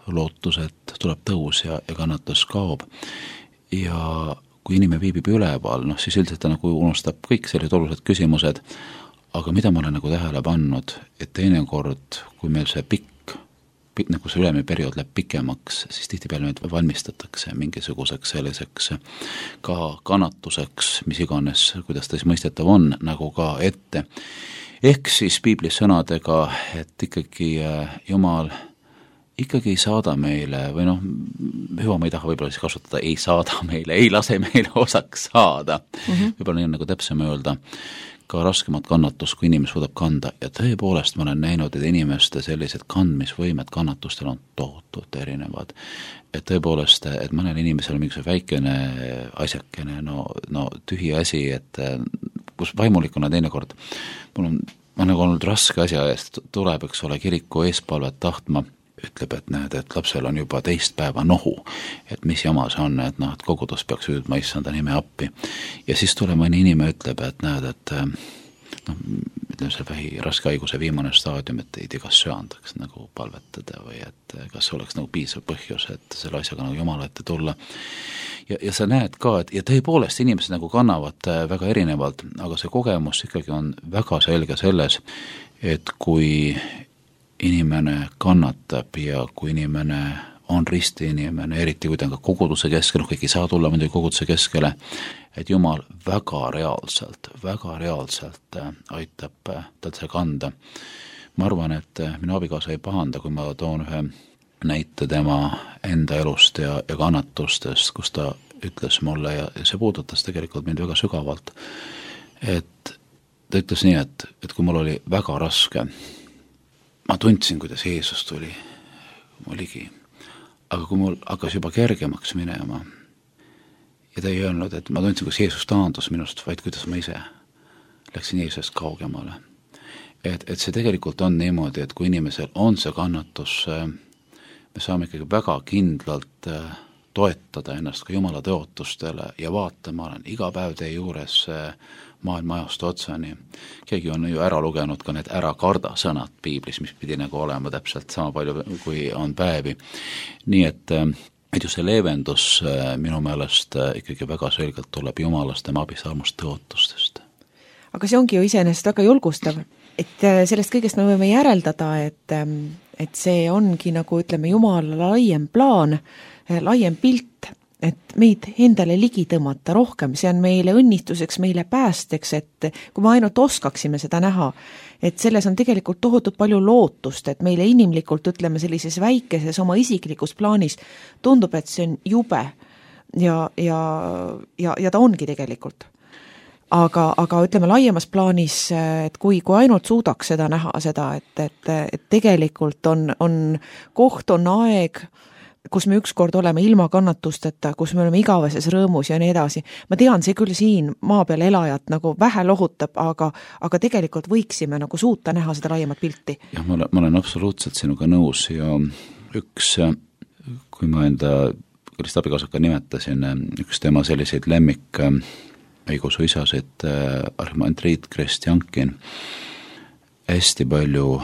lootus, et tuleb tõus ja kannatus kaob ja kui inimene viibib üleval, noh siis üldiselt ta nagu unustab kõik sellised olulised küsimused, aga mida ma olen nagu tähele pannud, et teinekord, kui meil see nagu see ülemine periood läheb pikemaks, siis tihtipeale meid valmistatakse mingisuguseks selliseks ka kannatuseks, mis iganes, kuidas ta siis mõistetav on, nagu ka ette. Ehk siis piiblis sõnadega, et ikkagi Jumal ikkagi ei saada meile, või noh, hüva ma ei taha võib-olla siis kasutada, ei saada meile, ei lase meile osaks saada. Võib-olla nii on nagu täpsem öelda, ka raskemat kannatust, kui inimes võtab kanda ja tõepoolest ma olen näinud, et inimeste sellised kandmisvõimed kannatustel on tohutult erinevad. Et tõepoolest, et mõnel inimesel on mingisugune väikene asjakene, no tühi asi, et kus vaimulikuna teinekord mul on nagu olnud raske asja eest, tuleb, eks ole, kiriku eespalvet tahtma, ütleb, et näed, et lapsel on juba teist päeva nohu, et mis jama see on, et noh, et kogudus peaks hüüdma issanda nime appi. Ja siis tuleb mõni inimene ütleb, et näed, et noh, ütleme, see vähi raske haiguse viimane staadium, et ei tea, kas söandaks nagu palvetada või et kas oleks nagu piisav põhjus, et selle asjaga nagu Jumala ette tulla. Ja sa näed ka, et ja tõepoolest inimesed nagu kannavad väga erinevalt, aga see kogemus ikkagi on väga selge selles, et kui inimene kannatab ja kui inimene on risti inimene, eriti kui ta on ka koguduse keskel, kõik ei saa tulla muidugi koguduse keskele, et Jumal väga reaalselt aitab tal see kanda. Ma arvan, et minu abikaasa ei pahanda, kui ma toon ühe näite tema enda elust ja kannatustest, kus ta ütles mulle ja see puudutas tegelikult mind väga sügavalt, et ta ütles nii, et kui mul oli väga raske, ma tundsin, kuidas Jeesus tuli mu ligi. Aga kui mul hakkas juba kergemaks minema ja ta ei öelnud, et ma tundsin, kus Jeesus taandus minust, vaid kuidas ma ise läksin Jeesusest kaugemale. Et see tegelikult on niimoodi, et kui inimesel on see kannatus, me saame ikkagi väga kindlalt toetada ennast ka Jumala tõotustele ja vaatama, olen iga päev teie juures maailma ajast otsani. Keegi on ju ära lugenud ka need ära karda sõnad piiblis, mis pidi nagu olema täpselt sama palju, kui on päevi. Nii et ju see leevendus minu meelest ikkagi väga selgelt tuleb Jumalast, tema abist, armust, tõotustest. Aga see ongi ju iseenesest väga julgustav, et sellest kõigest me võime järeldada, et see ongi nagu ütleme Jumala laiem plaan, laiem pilt, et meid endale ligi tõmmata rohkem, see on meile õnnistuseks, meile päästeks, et kui me ainult oskaksime seda näha, et selles on tegelikult tohutult palju lootust, et meile inimlikult ütleme sellises väikeses oma isiklikus plaanis tundub, et see on jube ja ta ongi tegelikult. Aga ütleme laiemas plaanis, et kui ainult suudaks seda näha, seda, et tegelikult on koht, on aeg, kus me ükskord oleme ilma kannatusteta, kus me oleme igaveses rõõmus ja nii edasi. Ma tean, see küll siin maa peal elajat nagu vähe lohutab, aga tegelikult võiksime nagu suuta näha seda laiemat pilti. Jah, ma olen absoluutselt sinuga nõus ja üks, kui ma enda Krist abikaasaka nimetasin, üks tema selliseid lemmik õigusu isasid, arhimandriit Kristjankin, hästi palju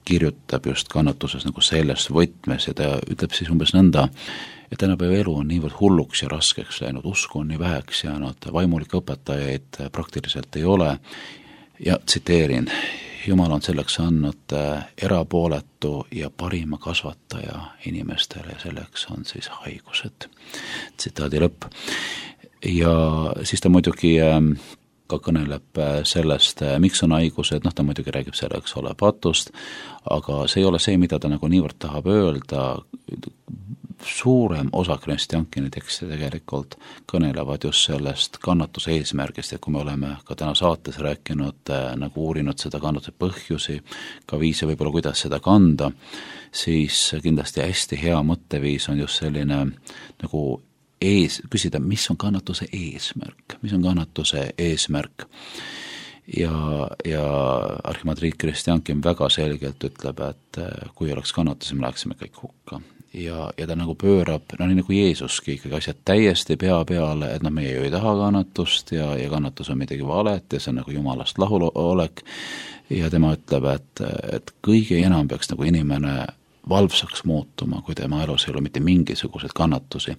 kirjutab just kannatuses nagu selles võtmes ja ta ütleb siis umbes nõnda, et tänapäeva elu on niivõrd hulluks ja raskeks läinud, usku on nii väheks jäänud, vaimulikke õpetajaid praktiliselt ei ole ja tsiteerin, Jumal on selleks andnud erapooletu ja parima kasvataja inimestele ja selleks on siis haigused. Tsitaadi lõpp. Ja siis ta muidugi ka kõneleb sellest, miks on haigused, ta muidugi räägib selleks ole patust, aga see ei ole see, mida ta nagu niivõrd tahab öelda, suurem osa Kristjankini tekste tegelikult kõnelevad just sellest kannatuse eesmärgist, et kui me oleme ka täna saates rääkinud, nagu uurinud seda kannatuse põhjusi, ka viise võib-olla, kuidas seda kanda, siis kindlasti hästi hea mõtteviis on just selline nagu küsida, mis on kannatuse eesmärk, ja arhimandriit Kristjankin väga selgelt ütleb, et kui oleks kannatusi, me läheksime kõik hukka ja ta nagu pöörab, nii nagu Jeesuski ikkagi asjad täiesti pea peale, et meie ju ei taha kannatust ja kannatus on midagi valet ja see on nagu Jumalast lahulolek ja tema ütleb, et kõige enam peaks nagu inimene valvsaks muutuma, kui tema elus ei ole mitte mingisuguseid kannatusi.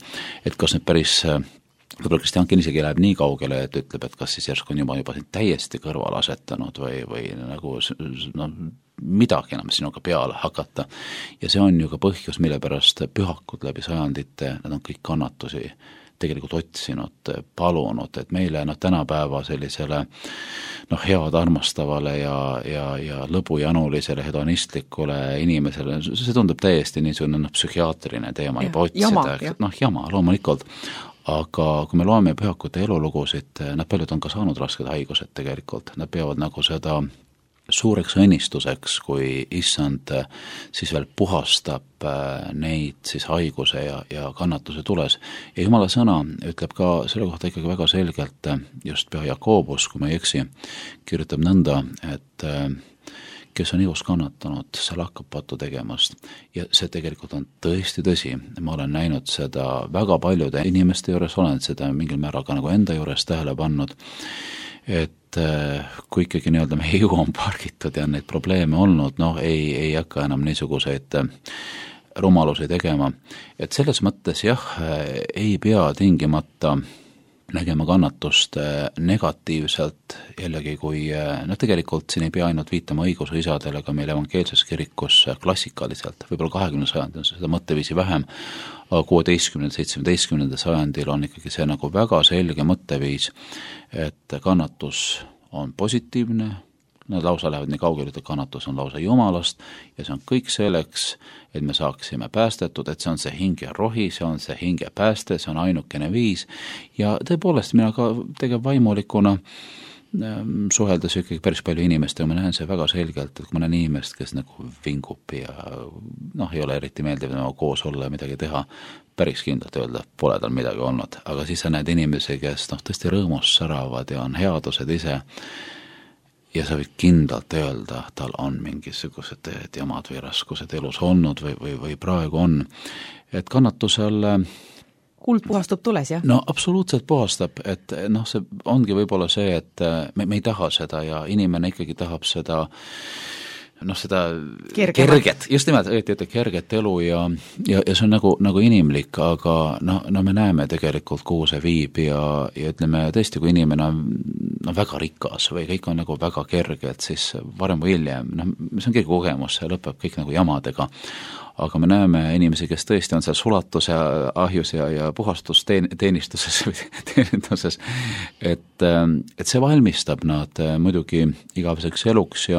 Et kas nüüd päris, võib-olla Kristjankin isegi läheb nii kaugele, et ütleb, et kas siis järsku on juba täiesti kõrval asetanud või nagu midagi enam sinuga peale hakata. Ja see on ju ka põhjus, mille pärast pühakud läbi sajandite, nad on kõik kannatusi tegelikult otsinud, palunud, et meile tänapäeva sellisele head armastavale ja lõbujanulisele hedonistlikule inimesele, see tundub täiesti niisugune psühhiaatriline teema juba otsida, jama loomulikult, aga kui me loeme pühakute elulugusid, nad paljud on ka saanud rasked haigused tegelikult, nad peavad nagu seda suureks õnnistuseks, kui issand siis veel puhastab neid siis haiguse ja kannatuse tules. Ja Jumala sõna ütleb ka selle kohta ikkagi väga selgelt, just pea Jakobus, kui ma ei eksi, kirjutab nõnda, et kes on ihus kannatanud, seal hakkab patu tegemast. Ja see tegelikult on tõesti tõsi. Ma olen näinud seda väga paljude inimeste juures, olen seda mingil määral ka nagu enda juures tähele pannud, et et kui ikkagi nii-öelda meie jõu on pargitud ja neid probleeme olnud, ei hakka enam niisuguseid rumalusi tegema. Et selles mõttes jah, ei pea tingimata nägema kannatust negatiivselt, jällegi kui, tegelikult siin ei pea ainult viitama õiguse isadele, aga meil evangeelses kirikus klassikaliselt, võib-olla 20. sajandil on seda mõtteviisi vähem, aga 16. 17. sajandil on ikkagi see nagu väga selge mõtteviis, et kannatus on positiivne, nad lausa lähevad nii kaugele, et kannatus on lausa Jumalast ja see on kõik selleks, et me saaksime päästetud, et see on see hinge rohi, see on see hinge pääste, see on ainukene viis ja tõepoolest mina ka tegevvaimulikuna suheldes ikkagi päris palju inimest ja ma näen see väga selgelt, et kui ma näen inimest, kes nagu vingub ja ei ole eriti meeldiv koos olla ja midagi teha, päris kindlalt öelda, pole tal midagi olnud, aga siis sa näed inimesi, kes tõesti rõõmust säravad ja on headused ise ja sa võid kindlalt öelda, tal on mingisugused jamad või raskused elus olnud või praegu on, et kannatusel kuld puhastub tules, jah? No absoluutselt puhastab, et see ongi võib-olla see, et me ei taha seda ja inimene ikkagi tahab seda seda kerget, just nimelt, õieti kerget elu ja see on nagu inimlik, aga me näeme tegelikult, kuhu see viib ja ütleme tõesti, kui inimene on väga rikas või kõik on nagu väga kerge, et siis varem või hiljem, see on kõige kogemus, see lõpeb kõik nagu jamadega, aga me näeme inimesi, kes tõesti on seal sulatuse ahjus ja puhastusteenistuses või teeninduses, et see valmistab nad muidugi igaveseks eluks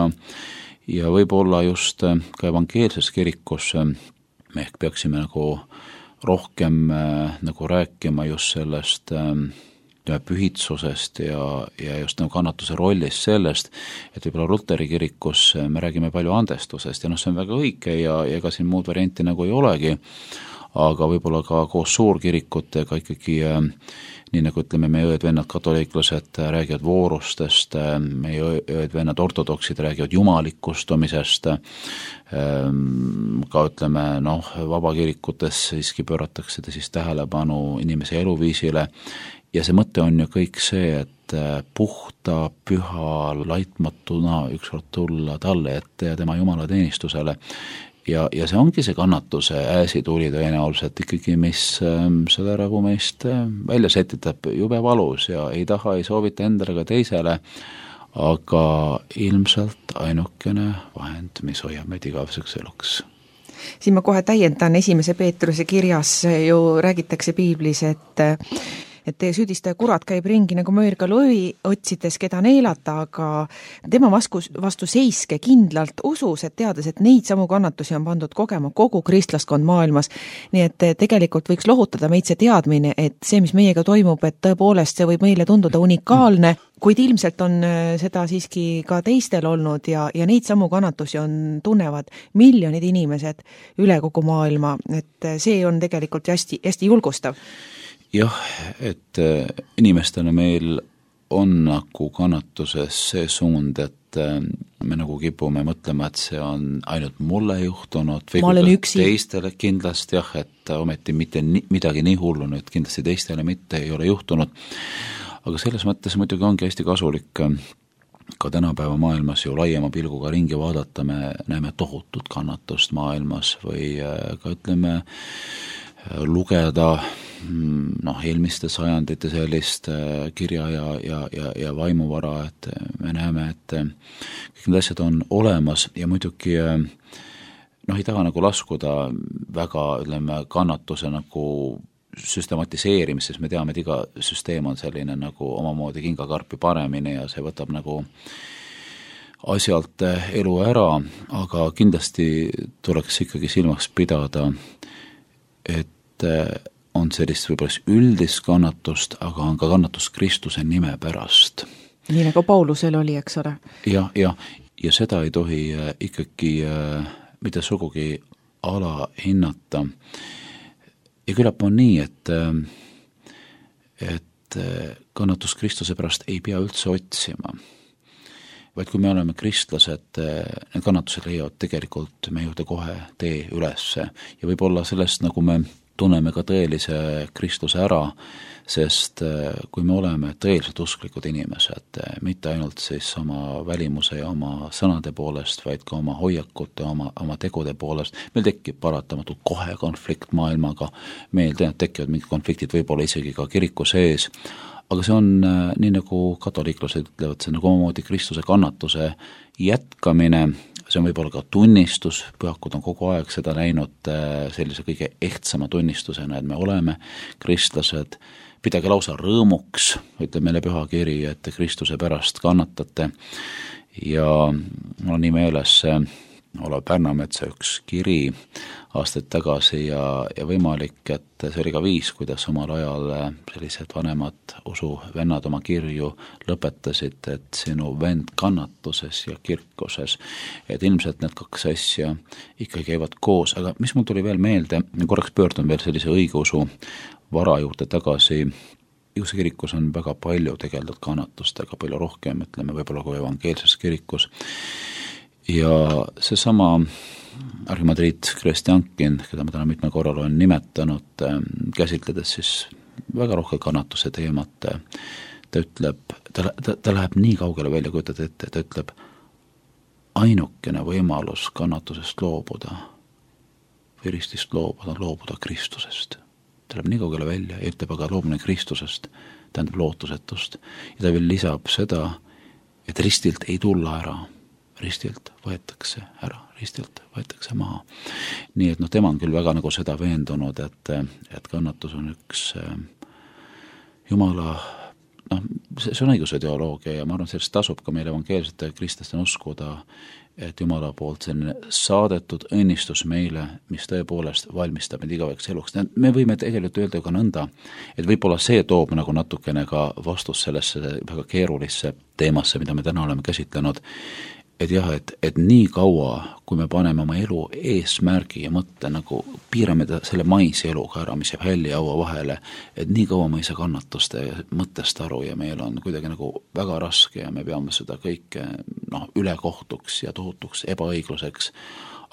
ja võib-olla just ka evangeelses kirikus me ehk peaksime nagu rohkem nagu rääkima just sellest pühitsusest ja just nagu kannatuse rollist sellest, et võib-olla Luteri kirikus me räägime palju andestusest ja see on väga õige ja ega siin muud varianti nagu ei olegi, aga võib-olla ka koos suurkirikutega ikkagi nii nagu ütleme, meie õed-vennad katoliiklased räägivad voorustest, meie õed-vennad ortodoksid räägivad jumalikustumisest, ka ütleme, vabakirikutes siiski pööratakse siis tähelepanu inimese eluviisile ja see mõte on ju kõik see, et puhta, püha, laitmatuna ükskord tulla talle ette ja tema jumalateenistusele ja see ongi see kannatuse äsituli tõenäoliselt ikkagi, mis seda nagu meist välja sätitab jube valus ja ei taha, ei soovita endale ega teisele, aga ilmselt ainukene vahend, mis hoiab meid igaveseks eluks. Siin ma kohe täiendan, 1. Peetruse kirjas ju räägitakse piiblis, et teie süüdistaja kurat käib ringi nagu möörga lõvi, otsides keda neelata, aga tema vastu seiske kindlalt usus, et teades, et neid samu kannatusi on pandud kogema kogu kristlaskond maailmas. Nii et tegelikult võiks lohutada meid see teadmine, et see, mis meiega toimub, et tõepoolest see võib meile tunduda unikaalne, kuid ilmselt on seda siiski ka teistel olnud ja neid samu kannatusi tunnevad miljonid inimesed üle kogu maailma, et see on tegelikult hästi, hästi julgustav. Jah, et inimestena meil on nagu kannatuses see suund, et me nagu kipume mõtlema, et see on ainult mulle juhtunud või teistele kindlasti jah, et ometi mitte midagi nii hullu nüüd kindlasti teistele mitte ei ole juhtunud, aga selles mõttes muidugi ongi hästi kasulik ka tänapäeva maailmas ju laiema pilguga ringi vaadata, me näeme tohutut kannatust maailmas või ka ütleme lugeda eelmiste sajandite sellist kirja ja vaimuvara, et me näeme, et kõik need asjad on olemas ja muidugi ei taha nagu laskuda väga, ütleme, kannatuse nagu süstematiseerimist, sest me teame, et iga süsteem on selline nagu omamoodi kingakarpi paremini ja see võtab nagu asjalt elu ära, aga kindlasti tuleks ikkagi silmaks pidada, et on sellist võib-olla üldist kannatust, aga on ka kannatus Kristuse nime pärast. Nii nagu Paulusel oli, eks ole? Ja seda ei tohi ikkagi mitte sugugi alahinnata. Ja küllap on nii, et kannatus Kristuse pärast ei pea üldse otsima. Vaid kui me oleme kristlased, need kannatused leiavad tegelikult me juurde kohe tee ülesse ja võib-olla sellest nagu me tunneme ka tõelise Kristuse ära, sest kui me oleme tõeliselt usklikud inimesed, mitte ainult siis oma välimuse ja oma sõnade poolest, vaid ka oma hoiakute, oma tegude poolest, meil tekib paratamatult kohe konflikt maailmaga, meil tekivad mingid konfliktid võib-olla isegi ka kiriku sees, aga see on nii nagu katoliiklased ütlevad, see nagu omamoodi Kristuse kannatuse jätkamine, see on võib-olla ka tunnistus, pühakud on kogu aeg seda näinud sellise kõige ehtsama tunnistusena, et me oleme kristlased, pidage lausa rõõmuks, ütleb meile pühakiri, et Kristuse pärast kannatate ja mul on nii meeles Olav Pärnametsa üks kiri aastaid tagasi ja võimalik, et see oli ka viis, kuidas omal ajal sellised vanemad usuvennad oma kirju lõpetasid, et sinu vend kannatuses ja kirkuses, et ilmselt need kaks asja ikka käivad koos, aga mis mul tuli veel meelde, korraks pöördun veel sellise õigeusu vara juurde tagasi, õigeusu kirikus on väga palju tegeldud kannatustega, palju rohkem, ütleme võib-olla kui evangeelses kirikus, ja seesama arhimandriit Krestjankin, keda ma täna mitmel korral olen nimetanud, käsitledes siis väga rohke kannatuse teemat, ta ütleb, ta läheb nii kaugele välja, kujutad ette, ta ütleb, ainukene võimalus kannatusest loobuda või ristist loobuda Kristusest. Ta läheb nii kaugele välja ja ütleb, aga loobumine Kristusest tähendab lootusetust. Ja ta veel lisab seda, et ristilt ei tulla ära, ristilt võetakse ära, ristilt võetakse maha. Nii et tema on küll väga nagu seda veendunud, et kannatus on üks Jumala, see on õiguse teoloogia ja ma arvan, sellest tasub ka meil evangeelsete kristlaste uskuda, et Jumala poolt selline saadetud õnnistus meile, mis tõepoolest valmistab meid igaveks eluks. Me võime tegelikult öelda ka nõnda, et võib-olla see toob nagu natukene ka vastus sellesse väga keerulisse teemasse, mida me täna oleme käsitlenud, et jah, et nii kaua, kui me paneme oma elu eesmärgi ja mõtte nagu piirame selle maise eluga ära, mis jääb hälli ja haua vahele, et nii kaua me ei saa kannatuste mõttest aru ja meil on kuidagi nagu väga raske ja me peame seda kõike ülekohtuks ja tohutuks ebaõigluseks,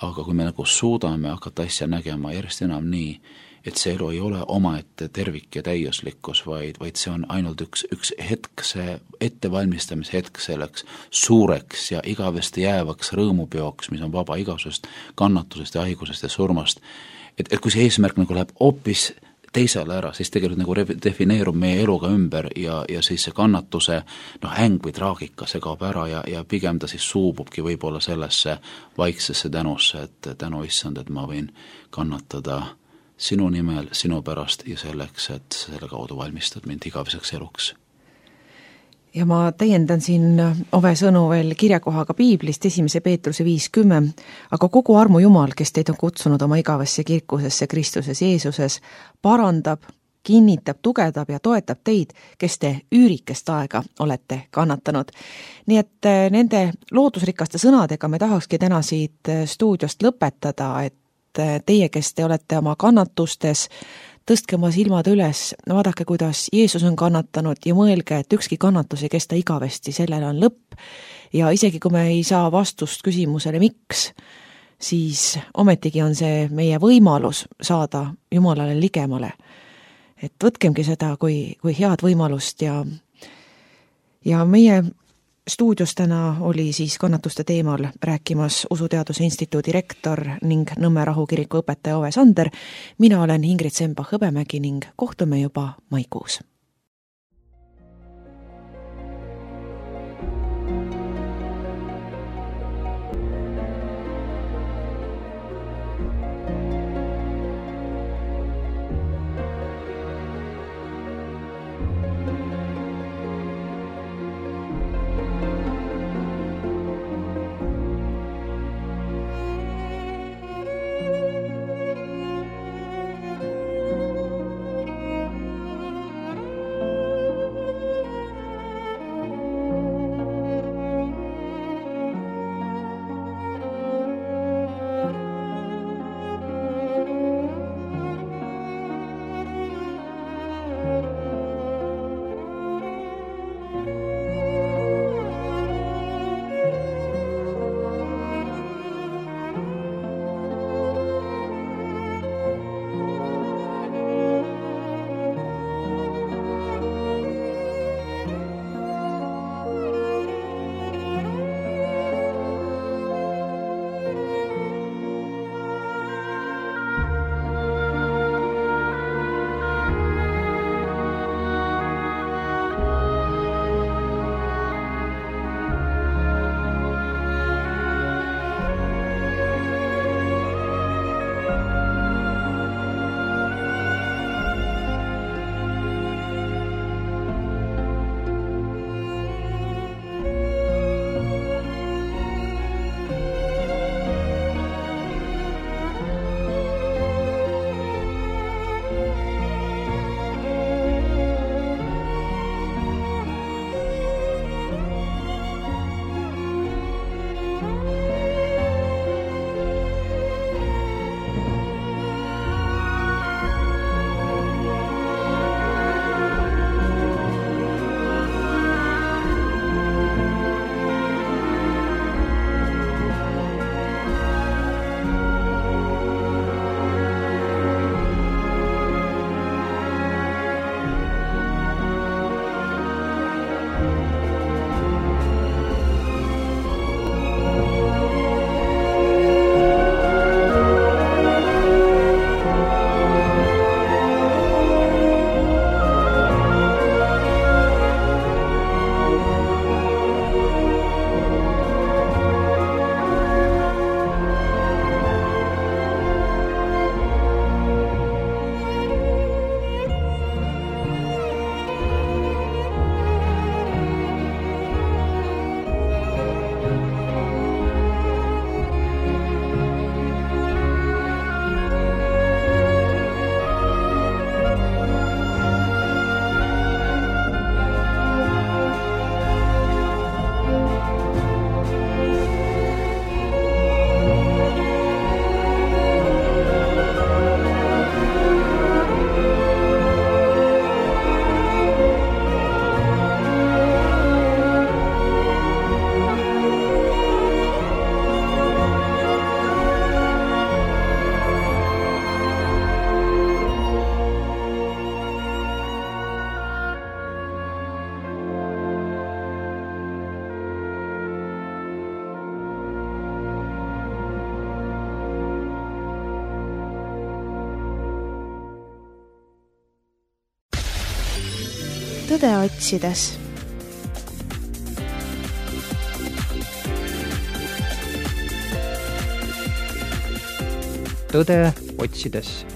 aga kui me nagu suudame hakata asja nägema järjest enam nii, et see elu ei ole omaette tervik ja täiuslikkus, vaid see on ainult üks hetk, see ettevalmistamise hetk selleks suureks ja igavesti jäävaks rõõmupeoks, mis on vaba igasust kannatusest ja haigusest ja surmast. Et kui see eesmärk nagu läheb hoopis teisele ära, siis tegelikult nagu defineerub meie eluga ümber ja siis see kannatuse häng või traagika, see kaob ära ja pigem ta siis suububki võib-olla sellesse vaiksesse tänusse, et tänu issand, et ma võin kannatada sinu nimel, sinu pärast ja selleks, et selle kaudu valmistad mind igaveseks eluks. Ja ma täiendan siin Ove sõnu veel kirjakohaga Piiblist 1. Peetruse 5:10, aga kogu armu Jumal, kes teid on kutsunud oma igavesse kirkusesse Kristuses Jeesuses, parandab, kinnitab, tugevdab ja toetab teid, kes te üürikest aega olete kannatanud. Nii et nende loodusrikaste sõnadega me tahakski täna siit stuudiost lõpetada, et teie, kes te olete oma kannatustes, tõstke oma silmad üles, vaadake, kuidas Jeesus on kannatanud ja mõelge, et ükski kannatus ei kesta igavesti, sellele on lõpp ja isegi kui me ei saa vastust küsimusele miks, siis ometigi on see meie võimalus saada Jumalale ligemale. Et võtkemgi seda kui head võimalust ja meie stuudios täna oli siis kannatuste teemal rääkimas Usuteaduse Instituudi rektor ning Nõmme Rahukiriku õpetaja Ove Sander. Mina olen Ingrid Sembach-Hõbemägi ning kohtume juba maikuus. tõde otsides. Tõde otsides.